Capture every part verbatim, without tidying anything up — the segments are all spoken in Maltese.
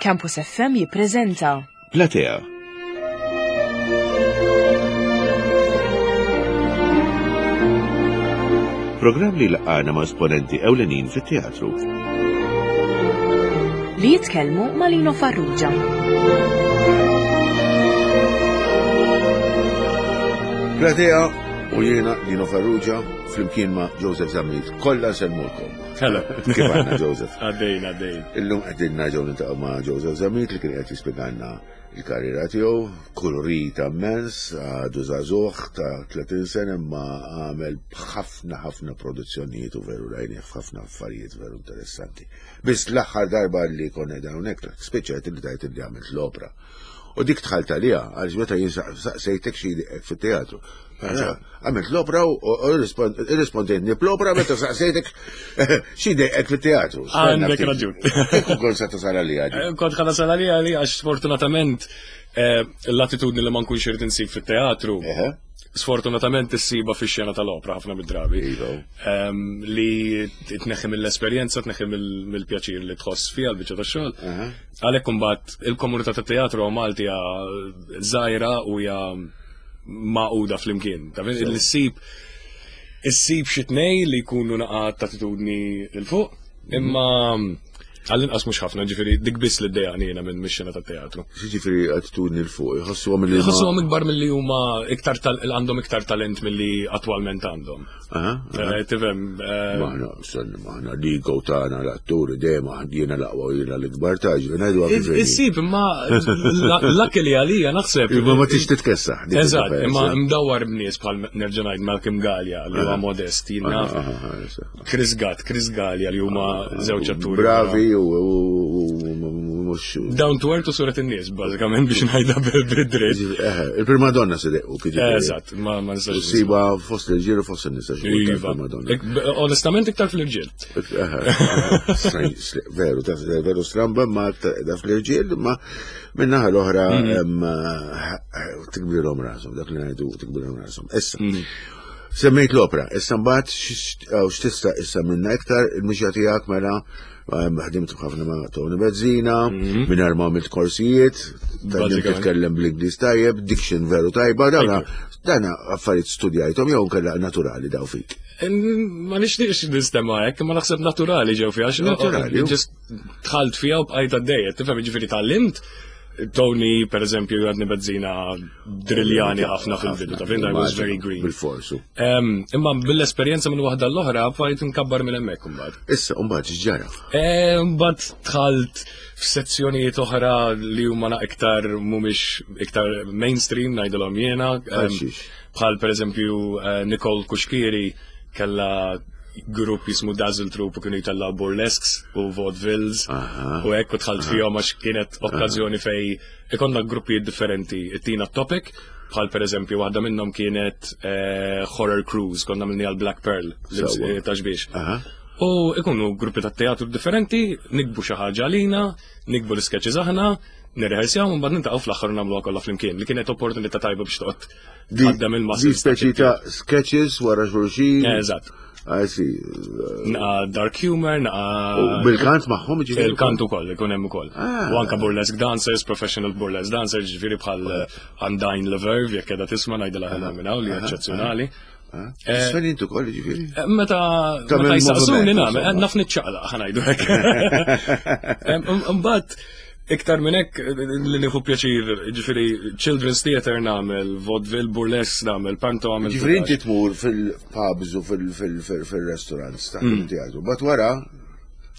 Campus F M jippreżenta Platea. Programm li laqana ma' esponenti ewlenin fit-teatru. Li jitkellmu ma' Lino Farrugia. Platea u jiena, Lino Farrugia, flimkien ma' Joseph Zammit. Kollha nsellmulkom. Hello. Kif għandna, Joseph? Għaddejn, għaddejn. Illum qegħdin nerġgħu niltaqgħu ma' Joseph Zammit li kien qed jispjegalna il-karriera tiegħu, kolorita immens, għadu żagħżugħ ta' tletin sena imma għamel ħafna ħafna produzzjonijiet u veru rajnieh f'ħafna affarijiet veru interessanti. Biss l-aħħar darba li konna hawnhekk spiċċajt li tajt li għamilt l-opra. U dik dħalt għaliha għaliex meta jien saqsejtek xi fit-teatru. Għamilt l-opra u irrispondejtni bl-opra meta saqsejtek xi dejqek fit-teatru. Għandek raġun. Kieku kont se tasal għalija di. Eh, Kont ħa nasal għalija li għax sfortunatament eh, l-attitudni li ma nkunx irid insib fit-teatru, Eħe. sfortunatament issiba fix-xena tal-opra ħafna mid-drabi. Iva. Em, li tneħħi mill-esperjenza, tneħħi mill- mill-pjaċir li tħoss fiha l-biċċa tax-xogħol. Aha. Għalhekk imbagħad il-komunità tat-teatru Malti hija żgħira u hija magħquda flimkien. Ta' li ssib issib xi tnej li jkunu naqa attitudni 'l fuq, imma għall-inqas mhux ħafna, ġifieri dik biss li ddejjaqni jiena minn mix-xena tat-teatru. Ġifieri attitudni 'l fuq, jħossuhom li Jħossuhom ikbar milli huma iktar tal għandhom iktar talent milli attwalment għandhom. Aha. aha. Eh, Tifhem, eh, Maħna, stenna, maħna l-ego tagħna l-atturi dejjem jiena l-aqwa u jiena l-ikbar ta' ġifieri ngħidu kif inhi. Issib, imma l-lak li għalija naħseb. Imma ma tix titkessaħ. Dik Eżatt, il-differenza. Imma mdawwar b'nies bħal nerġa' ngħid Malcolm Galea li huwa modest, jien naf. Aha, aha, aha. Chris Gatt, Chris Galea li huma żewġ atturi. Bravi u u- u mhux. Down to earth u suret in-nies, bażikament biex ngħidha bil-dritt. Eħe, il-primadonna se dequ kif ġifieri. Eżatt, ma ma U nistax. siba fost l-irġiel u fost in-nisa xi kultant Iva. primadonna. Ik- Onestament iktar fl-irġiel. Eħe, eħe, veru, taf- veru stramba, ma da fl-irġiel, ma minnaħa l-oħra em, tikbrilhom rashom, dak li ngħidu tikbrilhom rashom. Issa, semmejt l-opra, issa mbagħad x'tista' issa minna iktar il-mixja tiegħek mela em, ħdimt ħafna ma' Tony Bezzina, mingħajr ma għamilt korsijiet, tgħallimt Bażikament. titkellem bl-Ingliż tajjeb, diction veru tajba, dawna dana affarijiet studjajthom jew nkella naturali daw fik? Ma nixtieqx nistema hekk, ma naħseb naturali ġew fiha. Għax- Naturali. Just dħalt fiha u bqajt għaddejja, tifhem, ġifieri tgħallimt. Tony, per eżempju, għadni Bezzina drilljani ħafna fil-bidu, ta' fin, I was very green. Bil-forsu. Em, Imma bil-esperjenza minn waħda l-oħra, bqajt nkabbar minn hemmhekk imbagħad. Issa, mbagħad x'ġara? Mbagħad dħalt f'sezzjonijiet oħra li huma na iktar mhumiex iktar mainstream ngħidilhom jiena. Em, Bħal xiex? Bħal per eżempju eh, Nicole Cuschieri kella grupp jismu Dazzle Troupe u kienu jitellaw burlesques u vaudevilles Aha. u hekk u dħalt fihom għax kienet okkażjoni fej ikonna gruppijiet differenti ittina topic, bħal per eżempju waħda minnhom kienet eh, Horror Cruise, konna minni għal Black Pearl li Sewwa. eh, ta' xbiex. Aha. U ikunu gruppi ta' teatru differenti, niktbu xi ħaġa għalina, niktbu l-sketches aħna, nirrehearsjaw u mbagħad niltaqgħu fl-aħħar u nagħmluha kollha flimkien, li kienet opportunità tajba biex toqgħod Di tħaddem di il-muscles. speċi ta' sketches wara xulxin. Eżatt. I see. Naqa dark humor, naqa U bil-kant magħhom ġifieri? Il-kant ukoll, ikun hemm ukoll. Ah. U anka burlesque dancers, professional burlesque dancers, ġifieri bħal eh, Undine Leverve, jekk qiegħda tisma' ngħidilha ħella minn hawn li eċċezzjonali. Tisfen intu koll ġifieri? Eh, Meta Tagħmel meta jisaqsuni moviment, nagħmel, insomma. naf niċċaqlaq ħa ngħidu hekk. Em, Imbagħad iktar minn hekk eh, li nieħu pjaċir, ġifieri children's theater nagħmel, vaudeville, burlesque nagħmel, panto għamel. Ġifieri inti tmur fil-pubs u fil-restaurants ta' teatru. But wara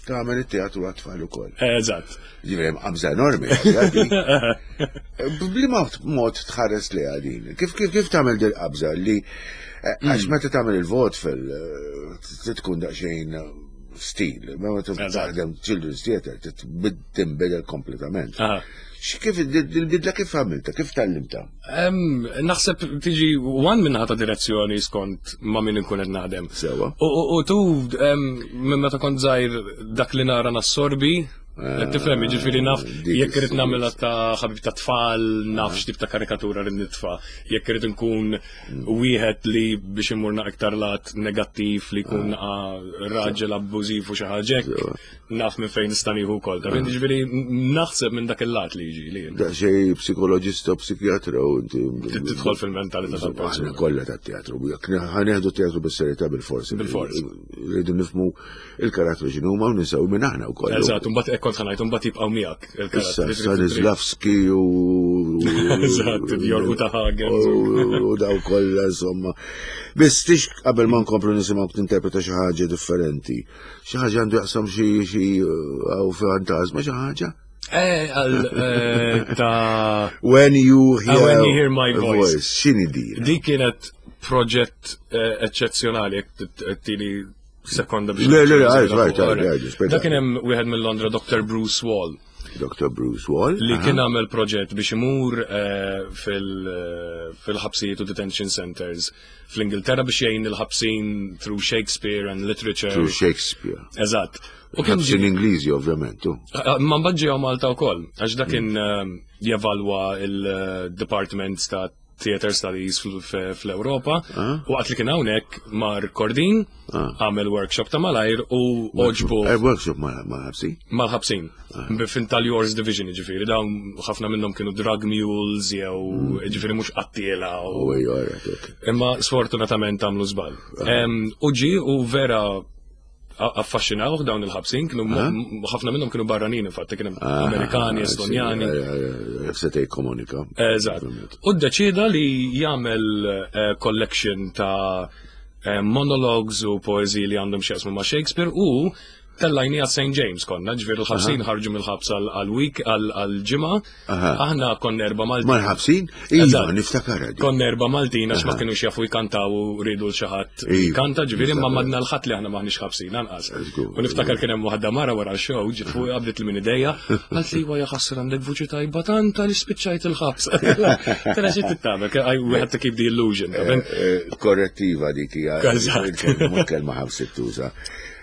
tagħmel it-teatru għat-tfal ukoll. Eżatt. Ġifieri hemm qabża enormi. għadi. B'liema mod tħares li għadin? Kif kif kif tagħmel dil qabża li eh, għax meta tagħmel il-vaudeville eh, tkun daqsxejn stil, meta Eżatt. taħdem children's theater tinbidel kompletament. Aha. Kif il-bidla kif għamilta, kif tgħallimta? Em, Naħseb tiġi one minnaħa ta' direzzjoni skont ma' min inkun qed naħdem. Sewa. U, u, u tu, em, minn meta kont żgħir dak li nara nassorbi Qed tifhem, jiġifieri naf dik jekk irid is- nagħmilha ta' ħabib ta' tfal, naf x'tip ta' karikatura rrid nitfa'. Jekk irid nkun wieħed li biex imur iktar lat negattiv li jkun naqa raġel abbużiv u xi ħaġa hekk, naf minn fejn nista' nieħu wkoll. Ta' jiġifieri naħseb minn dak il-lat li jiġi li Daqsxejn psikoloġista u psikjatra u inti. Tidħol fil-mentalità Aħna tal-persuna. kollha tat-teatru, jekk ħa nieħdu teatru bis-serjetà bil-forsi. Bil-fors. Rridu nifhmu il-karattru x'inhuma u ninsew minn aħna wkoll. Eżatt, mbagħad hekk kont ħa ngħid, mbagħad jibqgħu miegħek Issa il-karattri. Stanislavski u. Eżatt, Bjorn Uta Hagen. U daw kollha insomma. Biss tix qabel ma nkomplu nisimgħu tinterpreta xi ħaġa differenti. Xi ħaġa għandu jaqsam xi xi għaw fantasma xi ħaġa? Eh, għal eh, ta' When you hear, Ah, When You Hear My Voice. X'inhi din? Di kienet proġett eh, eccezzjonali, jekk tini sekonda biex. Le, le, le, għaj, għaj, għaj, għaj, spjega. Dak kien hemm wieħed minn Londra, Doctor Bruce Wall, Doctor Bruce Wall. li aha. kien għamel proġett biex imur eh, fil- eh, fil-ħabsijiet u detention centers fl-Ingilterra biex jgħin il-ħabsin through Shakespeare and literature. Through Shakespeare. Eżatt. U kien Ħabsin Ingliżi, ovvjament. u. Ma mbagħad ġew Malta wkoll, għax dak kien eh, jevalwa il-departments ta' Theater Studies fl- f- fl-Ewropa. U waqt li kien hawnhekk mar Kordin, għamel workshop ta' malajr u oġbu Eh, workshop ma' ma' ħabsin. mal-ħabsin. Fin tal-Yours Division, ġifieri, dawn ħafna minnhom kienu drug mules jew ġifieri mhux qattiela u U ejja, alright, ok. Imma sfortunatament għamlu żball. Em, U ġi u vera a- affaxxinawh dawn il-ħabsin, kienu mo- ħafna minnhom kienu barranin, infatti kienu Amerikani, Estonjani. Seta' jikkomunika. Eżatt. U ddeċida li jagħmel eh, collection ta' eh, monologues u poeziji li għandhom x'jaqsmu ma' Shakespeare u tellajni għal Saint James konna, ġifieri l-ħabsin ħarġu mill-ħabs għal-week, għal-ġimgħa. Aħna konna erba' Maltin. Mal-ħabsin? Iva, Eżatt. niftakarha di. Konna erba' Maltin għax ma kienux jafu jkantaw u rridu l xi ħadd Iva, kanta, ġifieri ma niftakar. madna l-ħadd li aħna maħniex ħabsin anqas. Żgur, U niftakar kien hemm waħda mara wara l-show, ġiet fuq qabdet li minn idejja, qalt li ja ħasra għandek vuċi tajba tant għaliex spiċċajt il-ħabs. Tara xi tittabek, I- we had to keep the illusion. ta' ben? Eh, Korrettiva dik hija. Eżatt. Il-kelma mhux kelma ħabs tuża.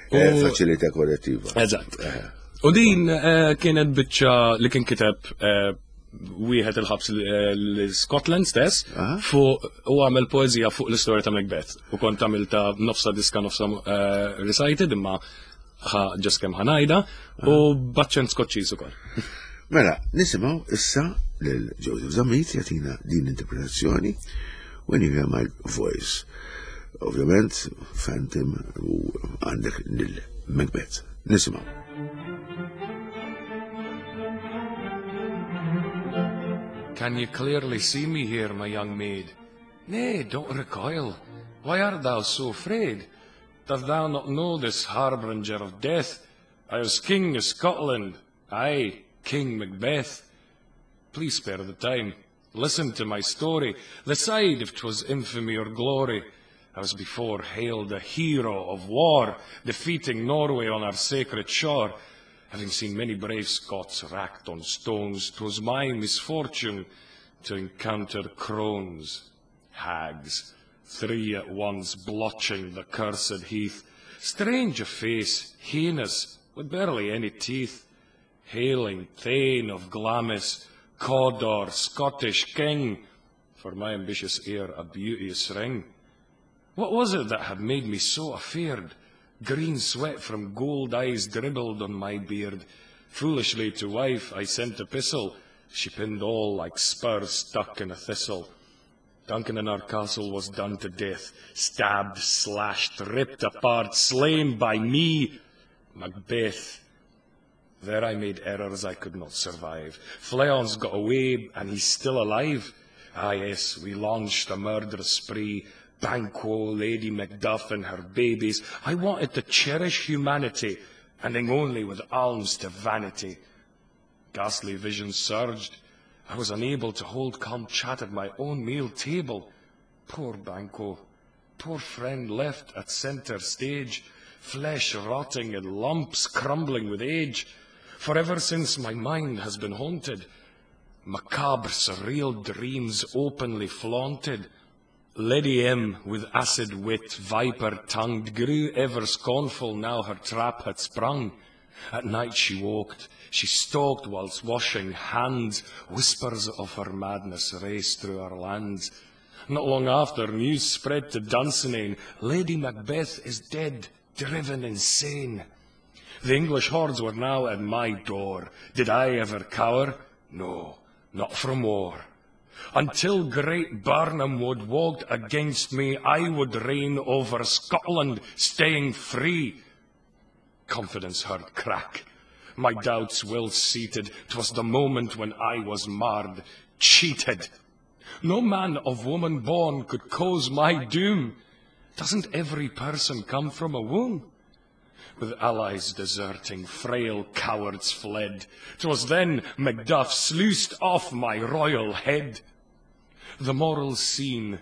Eh, Faċilità korrettiva. Eżatt. U din eh, kienet biċċa li kien kiteb eh, wieħed il-ħabs l-Scotland stess Aha. fuq u għamel poezija fuq l-istorja ta' Macbeth. U kont għamilta nofsa diska nofsa eh, recited imma ħa ġas kemm ħa ngħidha u b'aċċent Skoċċiż ukoll. Mela, nisimgħu issa lil Joseph Zammit jagħtina din interpretazzjoni When You Hear My Voice. Ovvjament, Phantom u għandek lil Macbeth. Nisimgħu. Can you clearly see me here, my young maid? Nay, don't recoil. Why art thou so afraid? Dost thou not know this harbinger of death? I was king of Scotland, aye, King Macbeth. Please spare the time. Listen to my story. Decide if 'twas infamy or glory. I was before hailed a hero of war, defeating Norway on our sacred shore. Having seen many brave Scots racked on stones, 'twas my misfortune to encounter crones, hags, three at once blotching the cursed heath. Strange of face, heinous, with barely any teeth. Hailing Thane of Glamis, Cawdor, Scottish king, for my ambitious ear a beauteous ring. What was it that had made me so afeard? Green sweat from gold eyes dribbled on my beard. Foolishly to wife I sent epistle. She pinned all like spurs stuck in a thistle. Duncan in our castle was done to death, stabbed, slashed, ripped apart, slain by me, Macbeth. There I made errors I could not survive. Fleance got away, and he's still alive. Ah, yes, we launched a murderous spree. Banquo, Lady Macduff, and her babies. I wanted to cherish humanity, ending only with alms to vanity. Ghastly visions surged. I was unable to hold calm chat at my own meal table. Poor Banquo, poor friend left at centre stage, flesh rotting in lumps crumbling with age. For ever since my mind has been haunted, macabre surreal dreams openly flaunted. Lady M, with acid wit, viper-tongued, grew ever scornful now her trap had sprung. At night she walked, she stalked whilst washing hands, whispers of her madness raced through our lands. Not long after, news spread to Dunsinane, Lady Macbeth is dead, driven insane. The English hordes were now at my door. Did I ever cower? No, not from war. Until great Birnam Wood walked against me, I would reign over Scotland, staying free. Confidence heard crack. My doubts well seated. 'Twas the moment when I was marred, cheated. No man of woman born could cause my doom. Doesn't every person come from a womb? With allies deserting, frail cowards fled. 'Twas then Macduff sluiced off my royal head. The moral scene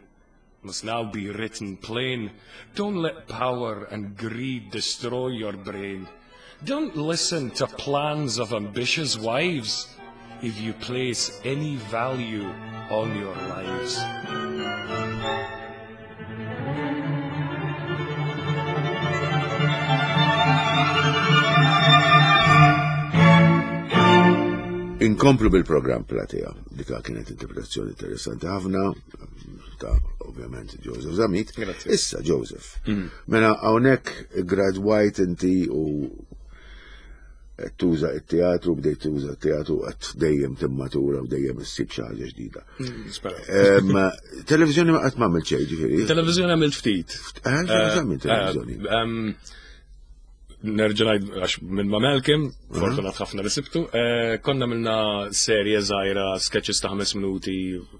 must now be written plain. Don't let power and greed destroy your brain. Don't listen to plans of ambitious wives if you place any value on your lives. Inkomplu bil-programm Platea. Dika kienet interpretazzjoni interessanti ħafna ta' ovvjament Joseph Zammit. Grazie. Issa Joseph. Mela hawnhekk gradwajt inti u qed tuża t-teatru, bdejt tuża t-teatru qed dejjem timmatura u dejjem issib xi ħaġa ġdida. Nispera. Em, Televizjoni ma qatt m'għamilt xejn, ġifieri. Televizjoni għamilt ftit. Eh, x'għamilt televizjoni? Eh, em, Nerġa' ngħid għax minn ma' Malcolm, fortunat ħafna li sibtu, eh, konna minna serje żgħira sketches ta' ħames minuti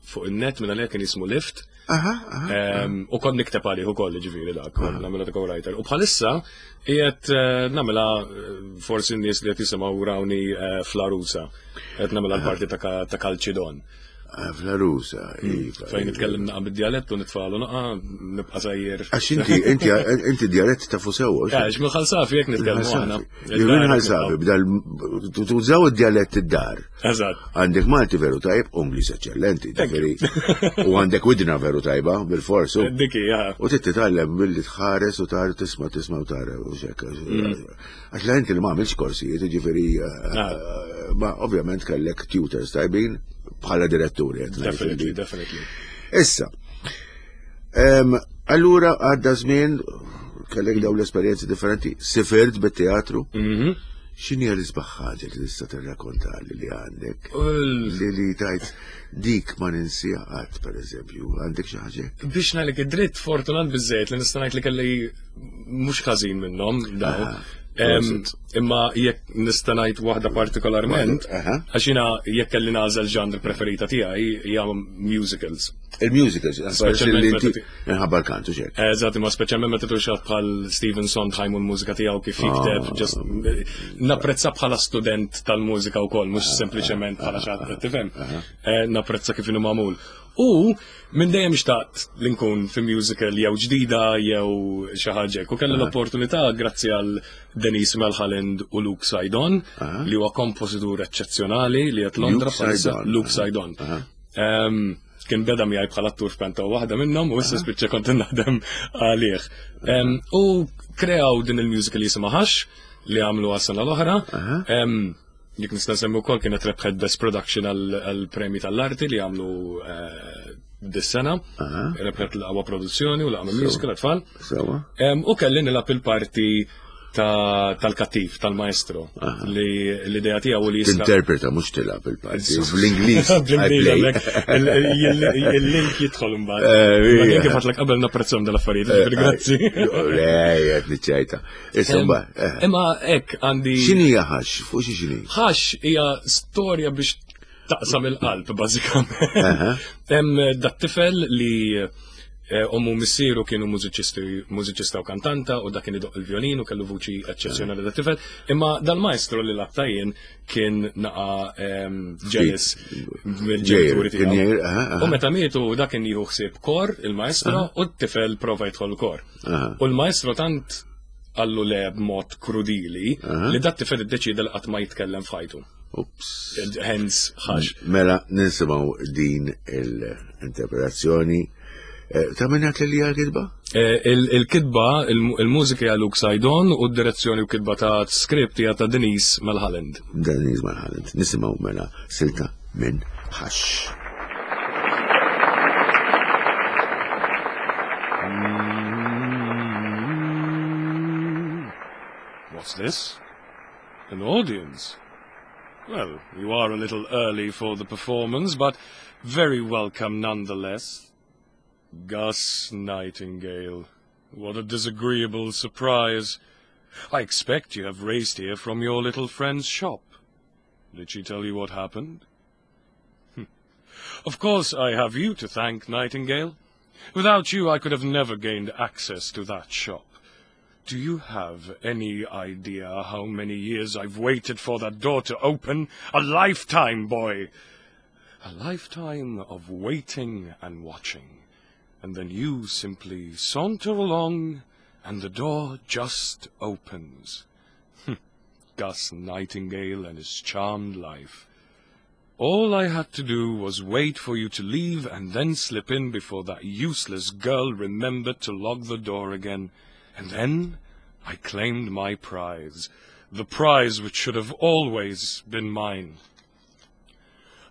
fuq in-net minn għalija kien jismu Lift. Aha, aha. Em, U kont nikteb għalih ukoll ġifieri dak, kont nagħmilha ta' co-writer. U bħalissa qiegħed eh, nagħmilha eh, forsi n-nies li qed jisimgħu rawni eh, fl-Arusa. Qed nagħmilha l-parti ta' Ka- ta' Kalċidon. Ah, Fl-Arusa, iva. Fejn nitkellem naqa' bid-dialett u nitfalu naqa' nibqa' sejjer. Għax inti, inti, inti dialett ta' fusew, Għax mill-ħalsafi jekk nitkellmu aħna. Jien ħalsafi, bdal tużaw id-dialett id-dar. Eżatt. Għandek Malti veru tajb, u Ingliż eċċellenti, ġifieri. U għandek widna veru tajba, bil-forsu. Diki, ja. U trid titgħallem billi tħares u tara tisma' tisma' u tara u xekk. Għax la inti li ma għamilx korsijiet, ġifieri, eh, ma ovvjament kellek tutors tajbin bħala diretturi. qed ngħid Definitely, li- definitely. Issa, em, allura għadda żmien kellek dawn l-esperjenzi differenti, sifirt bit-teatru. Mhm. X'inhi l-isbaħ ħaġa li tista' tirrakkontali li għandek? Ul- Li li tajt dik ma ninsija qatt pereżempju, għandek xi ħaġa hekk? Biex ngħidlek id-dritt fortunat biżejjed li nista' ngħid li kelli mhux ħażin minnhom daw. Ah, Em, prosit. Imma jekk nista' ngħid waħda partikolarment, Aha. għax jiena jekk kelli nagħżel ġanr preferita tiegħi hija musicals. Il-musicals, Speċjalment li inti meta nħabba l-kantu xek. Eżatt, imma speċjalment meta tuxat bħal Stephen Sondheim u l-mużika tiegħu kif jikteb, just napprezza bħala student tal-mużika wkoll, mhux sempliċement bħala xi ħadd tifhem. Eh, Napprezza kif inhu magħmul. U minn dejjem xtaqt li nkun fi musical jew ġdida jew xi ħaġa hekk. U kelli l-opportunità grazzi għal Denise Melhalind u Luke Saidon, li huwa kompożitur eċċezzjonali li qed Londra Luke bħalissa Saidon. Luke Saidon. Em, Kien beda miegħi bħala attur f'kanta waħda minnhom u issa spiċċa kont naħdem għalih. Em, U kreaw din il-musical jisimha Hush li għamlu għas-sena l-oħra. Em, Jekk nista' nsemmi wkoll kienet rebħet Best Production għall-premji tal-arti li għamlu eh, dis-sena. Rebħet l-aqwa produzzjoni u l-aqwa musical għat-tfal. Sewa. Em, U kelli nilgħab il-parti ta- tal-kattiv, tal-maestro, li l-idea tiegħu li jisra. Tinterpreta mhux tilgħab il-parti. Bl-Ingliż. I Bl-Ingliż, play. għalhekk, il- il- il-link jidħol imbagħad. Eh, Ma ija. kien kif għatlek qabel napprezzhom dal-affarijiet, ġifieri grazzi. Le, qed niċċajta. Issa mbagħad. eh, Imma hekk għandi X'inhi hija ħax? Fuq xi x'inhi? ħax hija storja biex taqsam il-qalb bażikament. Hemm dat tifel li eh, ommu missieru kienu mużiċisti mużiċista u kantanta u dak kien idoq il-violin u kellu vuċi eċċezzjonali dat tifel. Imma dal-maestro li labtajin kien naqa em, ġelis mill-ġenituri Ġejr, kien tiegħu. jgħir, aha, aha. U meta mietu dak kien jieħu ħsieb kor il-maestro u t-tifel prova jidħol kor. Aha. U l-maestro tant għallu le b'mod krudili li dat tifel iddeċida li qatt ma jitkellem f'ħajtu. Ups. Hence, ħax. Mela nisimgħu din l-interpretazzjoni Eh, ta' minn għat li għal-kitba? Eh, il-kitba, il-mużika hija Luke Saidon u d-direzzjoni u kitba ta' script hija ta' Denise Mulholland. Denise Mulholland. Nisimgħu mela silta minn Hush. What's this? An audience? Well, you are a little early for the performance, but very welcome nonetheless. Gus Nightingale. What a disagreeable surprise. I expect you have raced here from your little friend's shop. Did she tell you what happened? Of course I have you to thank, Nightingale. Without you I could have never gained access to that shop. Do you have any idea how many years I've waited for that door to open? A lifetime, boy! A lifetime of waiting and watching. And then you simply saunter along, and the door just opens. Gus Nightingale and his charmed life. All I had to do was wait for you to leave and then slip in before that useless girl remembered to lock the door again. And then I claimed my prize, the prize which should have always been mine.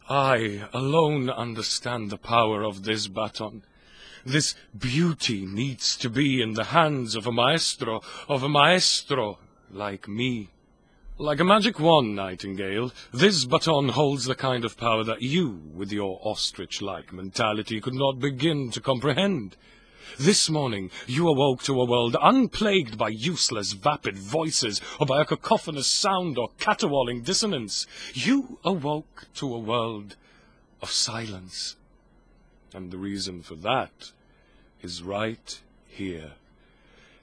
I alone understand the power of this baton. This beauty needs to be in the hands of a maestro, of a maestro like me. Like a magic wand, Nightingale, this baton holds the kind of power that you, with your ostrich-like mentality, could not begin to comprehend. This morning you awoke to a world unplagued by useless, vapid voices, or by a cacophonous sound or caterwauling dissonance. You awoke to a world of silence. And the reason for that is right here.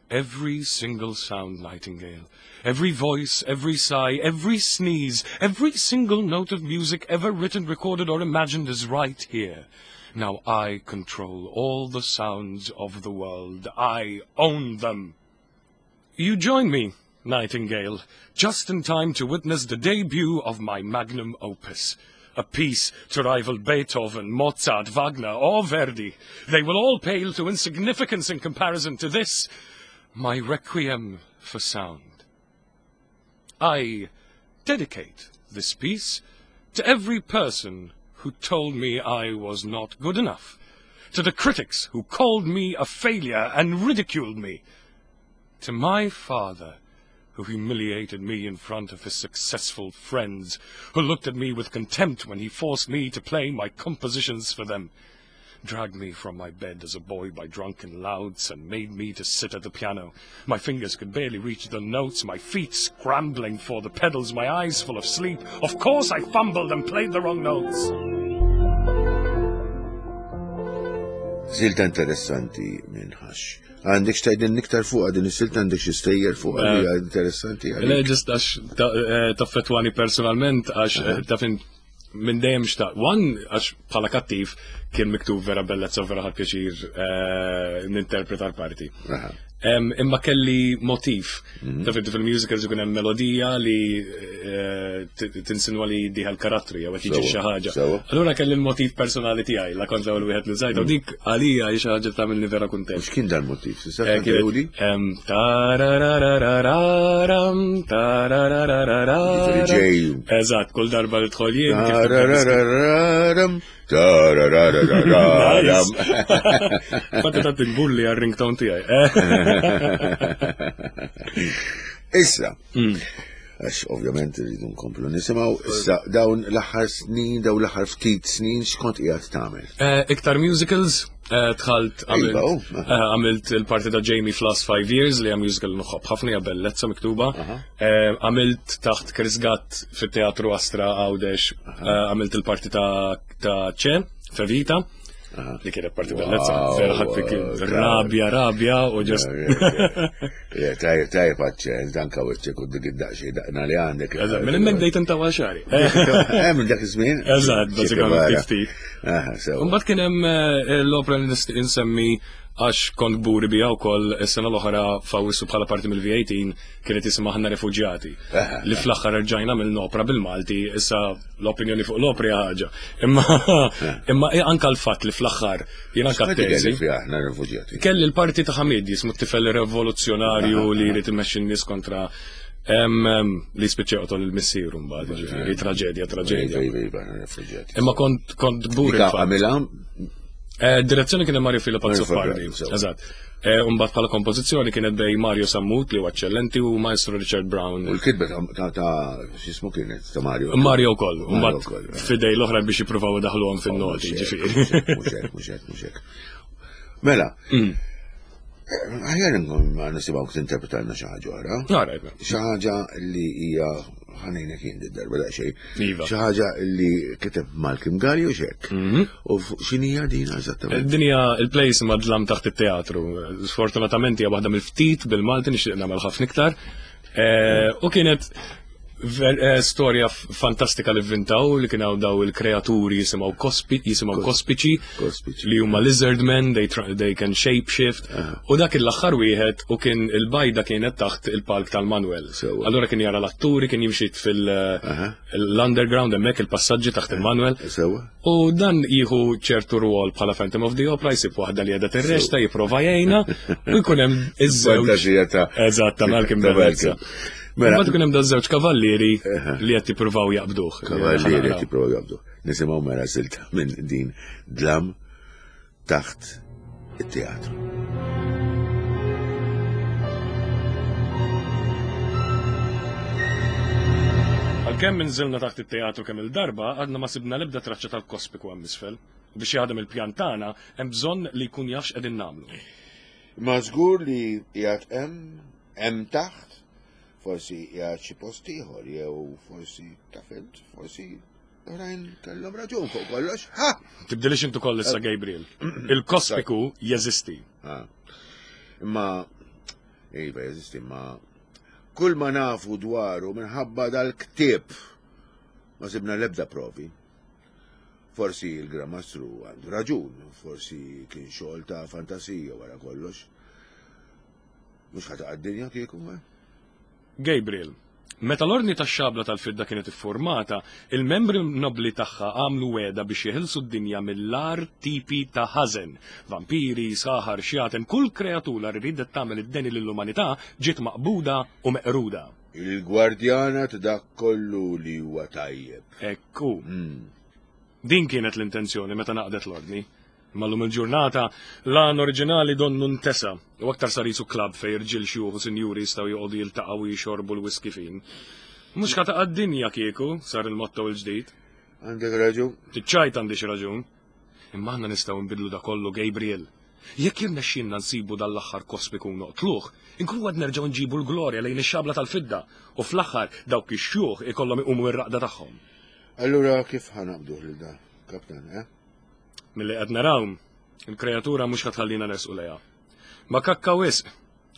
Every single sound, Nightingale, every voice, every sigh, every sneeze, every single note of music ever written, recorded, or imagined is right here. Now I control all the sounds of the world. I own them. You join me, Nightingale, just in time to witness the debut of my magnum opus. A piece to rival Beethoven, Mozart, Wagner, or Verdi. They will all pale to insignificance in comparison to this, my requiem for sound. I dedicate this piece to every person who told me I was not good enough, to the critics who called me a failure and ridiculed me, to my father, who humiliated me in front of his successful friends, who looked at me with contempt when he forced me to play my compositions for them, dragged me from my bed as a boy by drunken louts and made me to sit at the piano. My fingers could barely reach the notes, my feet scrambling for the pedals, my eyes full of sleep. Of course I fumbled and played the wrong notes. Silta interessanti minn Hush. Għandek x'tgħidilna iktar fuq din is-silta, għandek xi stejjer fuq li hija interessanti Le, just għax taffettwani personalment, għax taf int minn dejjem xtaq. One, għax bħala kattiv kien miktub vera bellezza u vera ħadt pjaċir ninterpreta l-parti. Imma kelli motif. Taf inti fil-musicals ikun hemm melodija li tinsinwa li diħal karattri jew qed jiġi xi ħaġa. Allura kelli l-motif personali tiegħi, la kont l-ewwel wieħed li żajt, u dik għalija hi xi ħaġa tagħmilni vera kuntent. X'kien dal-motif? Tista' tgħiduli? Tarararararam, tarararararam. Eżatt, kull darba li tħol jien. Tarararararam, tarararararam. Fatta ta' tinbulli għal-ringtone tiegħi. Issa, għax ovvjament rridu nkomplu nisimgħu, issa dawn l-aħħar snin, dawn l-aħħar ftit snin x'kont qiegħed tagħmel? Iktar musicals, dħalt għamilt il-parti ta' Jamie fl-last five years li hija musical nħobb ħafna, hija bellezza miktuba. Għamilt taħt Chris Gatt fit-Teatru Astra Għawdex, għamilt il-parti ta' Che, Fevita. Li kienet parti bellezza, vera ħadd fik rabja, rabja u ġest. Tajjeb, tajjeb għadċen, danka wiċċek u dik id-daqxie daqna li għandek. Eżatt, minn hemmhekk bdejt intawa xagħri. Eh, minn dak iż-żmien? Eżatt, bażikament ftit. Mbagħad kien hemm l-opera li nistieq insemmi għax kont kburi biha wkoll is-sena l-oħra f'Awwissu bħala parti mill-V eighteen kienet jisimha Aħna Refuġjati. Li fl-aħħar rġajna mill-opra bil-Malti, issa l-opinjoni fuq l-opra hija ħaġa. Imma imma anka l-fatt li fl-aħħar jien anka X'qed teżi. kelli fiha Aħna Refuġjati? Kelli l-parti ta' Hamid jismu t-tifel rivoluzzjonarju li jrid imexxi n-nies kontra em, em, li spiċċa joqtol il-missieru mbagħad, jiġifieri traġedja, traġedja. Iva, iva, iva, Aħna Refuġjati. Imma kont kont kburi Dika l-fatt. għamilha? Eh, direzzjoni kien Mario Filippo Mario Azzopardi, Filippo, eżatt. Eh, Mbagħad bħala kompożizzjoni kienet bej Mario Sammut li huwa eċċellenti u Maestro Richard Brown. U l-kitba ta', ta', ta' x'ismu kienet ta' Mario? Mario wkoll, u Mario mbagħad wkoll, eh. fidej l-oħra biex jippruvaw idaħluhom fin-noti, Mhux hekk, ġifieri. mhux hekk, mhux hekk, mhux hekk. Mela, Mm. aħjar nkun ma nisimgħu tinterpretalna xi ħaġa oħra. All right, mela. Xi ħaġa li hija ħanejnek jien darba daqsxejn. Iva. Xi ħaġa li kiteb Malcolm Galli u xek. Mhm. U fuq x'inhija din eżattament? Din hija il-play jisimha Dlam taħt it-teatru. Sfortunatament hija waħda mill-ftit bil-Malti nixtieq nagħmel ħafna iktar. Eh, U kienet ver-, eh, storja f-, fantastika li vvintaw li kien hawn daw il-kreaturi jisimgħu kospi-, jisimgħu Kos- kospiċi, kospiċi. li huma lizard men, they try, they can shape shift. U dak l-aħħar wieħed u kien il-bajda kienet taħt il-palk tal-Manuel. Sewwa. Allura kien jara l-atturi, kien jimxi fil- Aha. l-underground hemmhekk il-passaġġi taħt il-Manuel. Sewwa. U dan jieħu ċertu rwol bħala Phantom of the Opera, jsib waħda li qiegħda tirrexta, jipprova jgħinha, u jkun hemm iż-żewġ. Fantasija ta' Eżatt, ta' Malcolm ta' Bellezza. Malcolm. Mela. Mbagħad ikun hemm daż-żewġ kavallieri li qed jippruvaw jaqbduh. Kavallieri qed jippruvaw jaqbduh. Nisimgħu mela silta minn din Dlam taħt it-teatru. Għalkemm inżilna taħt it-teatru kemm il-darba, għadna ma sibna l-ebda traċċa tal-kospiku hemm isfel. U biex jaħdem il-pjan tagħna, hemm bżonn li jkun jaf x'qegħdin nagħmlu. Ma żgur li qiegħed hemm, hemm taħt, forsi qiegħed xi post ieħor, jew forsi taf int, forsi oħrajn kellhom raġun fuq kollox. Ha! Tibdilix intu koll issa, Gabriel. Il-kospiku jeżisti. Ah. Imma, iva, jeżisti, imma kull ma nafu dwaru minħabba dal-ktieb ma sibna l-ebda provi. Forsi il-Gran Mastru għandu raġun, forsi kien xogħol ta' fantasija wara kollox. Mhux ħa taqa' d-dinja kieku, eh? Gabriel, meta l-ordni tax-xabla tal-fidda kienet iffurmata, il-membri nobli tagħha għamlu weda biex jeħilsu d-dinja mill-ar tipi ta' ħażen. Vampiri, saħar, xjaten, kull kreatura li ridet tagħmel id-deni lill-umanità ġiet maqbuda u meqruda. Il-gwardjana ta' dak kollu li huwa tajjeb. Ekku. Mm. Din kienet l-intenzjoni meta naqdet l-ordni. Imma llum il-ġurnata l-għan oriġinali donnu ntesa u aktar sar jisu klab fej irġiel xjuħ u sinjuri jistgħu joqogħdu jiltaqgħu u jixorbu l-whisky fin. Mhux ħa taqa' d-dinja kieku sar il-motto l-ġdid. Għandek raġun? Tiċċajt għandi xi raġun. Imma aħna nistgħu nbidlu da kollu, Gabriel. Jekk jirnexxielna nsibu dal-aħħar kospiku noqtluh, inkunu għad nerġgħu nġibu l-glorja lejn ix-xabla tal-fidda u fl-aħħar dawk ix-xjuħ ikollhom iqumu mir-raqda tagħhom. Allura kif ħanaqbduh lil da, kaptan, eh? Milli qed naraw, il-kreatura mhux ħa tħallina nersqu lejha. Ma kakka wisq,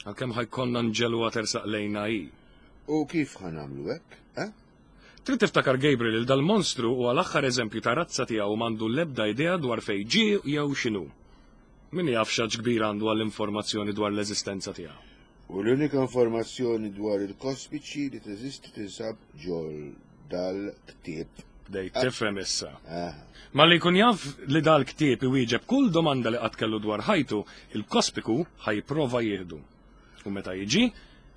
għalkemm ħajkonna nġelwa tersaq lejna hi. U kif ħanamlu hekk, eh? Trid tiftakar Gabriel il dal-monstru huwa l-aħħar eżempju ta' razza tiegħu m'għandu l-ebda idea dwar fejn ġie jew x'inhu. Min jaf x'għaġ kbir għandu għall-informazzjoni dwar l-eżistenza tiegħu. U l-unika informazzjoni dwar il-kospiċi li teżisti tinsab ġol dal-ktieb. Bdejt tifhem issa. Ah. Ma li jkun jaf li dal-ktieb iwieġeb kull domanda li qatt kellu dwar ħajtu, il-kospiku ħajprova jieħdu. U meta jiġi,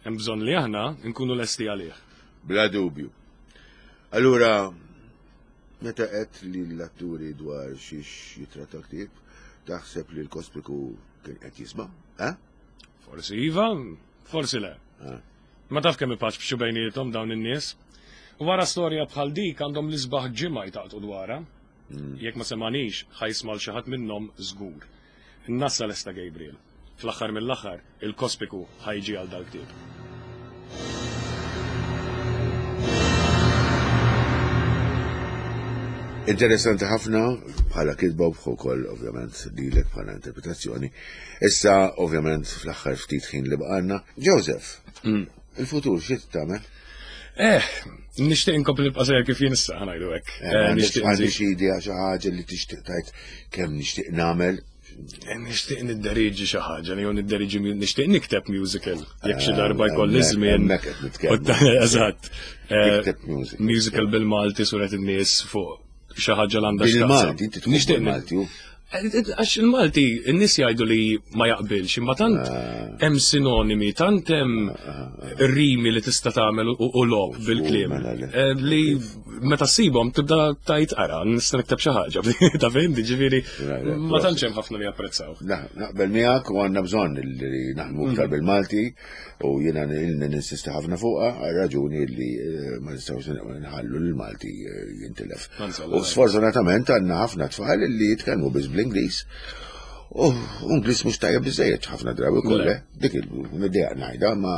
hemm bżonn li aħna nkunu lesti għalih. Bla dubju. Allura, meta qed li l-atturi dwar xiex jitratta ktieb, taħseb li l-kospiku kien qed jisma', eh? Forsi iva, forsi le. Ah. Ma taf kemm ipaċ bejniethom dawn in-nies. U wara storja bħal dik għandhom l-isbaħ ġimgħa jtaqtu dwarha. Mm. Jekk ma semanix, ħajsma' l xi ħadd minnhom żgur. Innassa lesta Gabriel. Fl-aħħar mill-aħħar, il-kospiku ħajġi għal dal-ktieb. Interessanti ħafna bħala kitba u wkoll ovvjament lilek bħala interpretazzjoni. Issa ovvjament fl-aħħar ftit ħin li bqalna. Joseph, Mm. il-futur xi tagħmel? Eh, nixtieq inkompli nibqa' sejjer kif jien issa, ħa ngħidu hekk. Eh, Eh, għandek nixtieq għandi nżid. xi idea xi ħaġa li tixtieq tgħid kemm nixtieq nagħmel Nixtieq nidderiġi xi ħaġa, jew nidderiġi nixtieq nikteb musical. Jekk xi darba jkolli żmien. Eżatt. Musical bil-Malti suret in-nies fuq xi ħaġa l għandha Bil-Malti, inti nixtieq Malti. Għax il-Malti, in-nies jgħidu li ma jaqbilx, imma tant hemm sinonimi, tant hemm rimi li tista' tagħmel u logħob bil-kliem. Li meta ssibhom tibda tajt ara, nista' nikteb xi ħaġa. Ta' fejn, ġifieri ma tantx hemm ħafna li japprezzaw. Naqbel miegħek u għandna bżonn li naħdmu iktar bil-Malti u jiena ninsisti ħafna fuqha għal raġuni li ma nistgħux nħallu l-Malti jintilef. U sfortunatament għandna ħafna tfal li jitkellmu biss bl-Ingliż. U Ingliż mhux tajjeb biżejjed ħafna drabi kollha. Dik il-idea ngħidha ma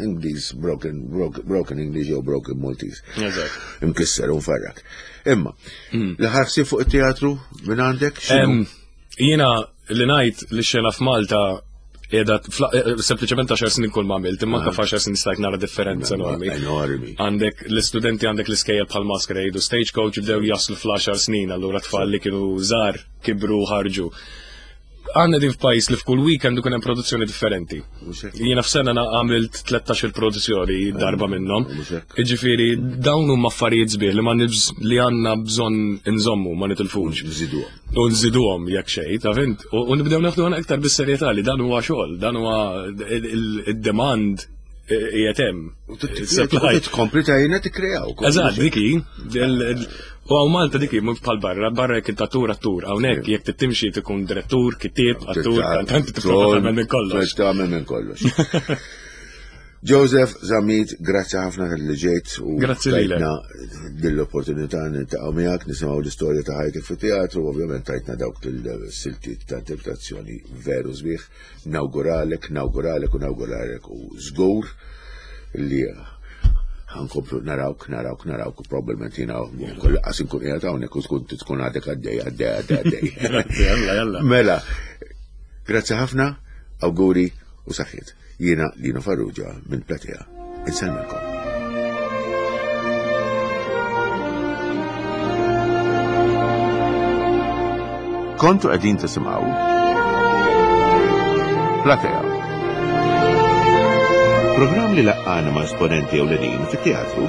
Ingliż broken broken English jew broken Maltese. Imkisser u mfarrak. Imma, l-aħħar ħsieb fuq it-teatru minn għandek x'inhu? Jiena li ngħid li xena f'Malta qiegħda sempliċement għaxar snin kull ma għamilt, imma anke f'għaxar snin stajt nara differenza enormi. Enormi. Għandek l-istudenti għandek l-iskejjel bħal Masquerade u Stagecoach bdew jaslu fl-għaxar snin, allura tfal li kienu żgħar kibru ħarġu. Għandna din f'pajjiż li f'kull weekend ikun hemm produzzjoni differenti. Jiena f'sena għamilt tlettax-il produzzjoni darba minnhom. Jiġifieri dawn huma affarijiet sbieħ li ma li għandna bżonn inżommu ma nitilfux. Nżiduhom. U nżiduhom jekk xejn, ta' fint? U nibdew naħdu aktar bis-serjetà li dan huwa xogħol, dan huwa id-demand qiegħed hemm. Tkompli tajna tikkreaw. Eżatt, diki. U hawn Malta diki mhux bħal barra, barra jekk int attur attur, hawnhekk jekk timxi tkun direttur, kittieb, attur, kantant, tagħmel minn kollox. Tagħmel minn kollox. Joseph Zammit, grazzi ħafna li ġejt u grazzi lilek. Dil-opportunità niltaqgħu miegħek, nisimgħu l-istorja ta' ħajtek fit-teatru, ovvjament tajtna dawk il-siltiet ta' interpretazzjoni veru sbieħ. Nawguralek, nawguralek u nawguralek u żgur li ħankomplu narawk, narawk, narawk, u probabbilment jiena kull qas inkun qiegħed hawnhekk u tkun tkun għadek għaddej, għaddej, għaddej, għaddej. Grazzi, jalla, jalla. Mela, grazzi ħafna, awguri u saħħiet. Jiena Lino Farrugia minn Platea. Insellmilkom. Kontu qegħdin tisimgħu Platea. Programm li laqqana ma' esponenti ewlenin fit-teatru.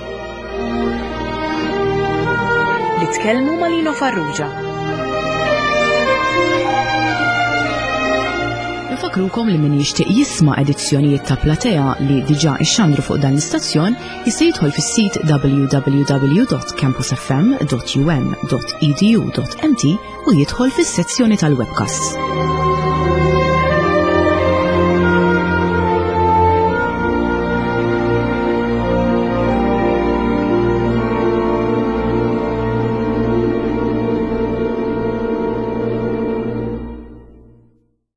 Li tkellmu ma' Lino Farrugia. Nfakrukom li min jixtieq jisma' edizzjonijiet ta' Platea li diġà ixxandru fuq dan l-istazzjon jista' jidħol fis-sit w w w dot campus f m dot u m dot e d u dot m t u jidħol fis-sezzjoni tal-webcasts.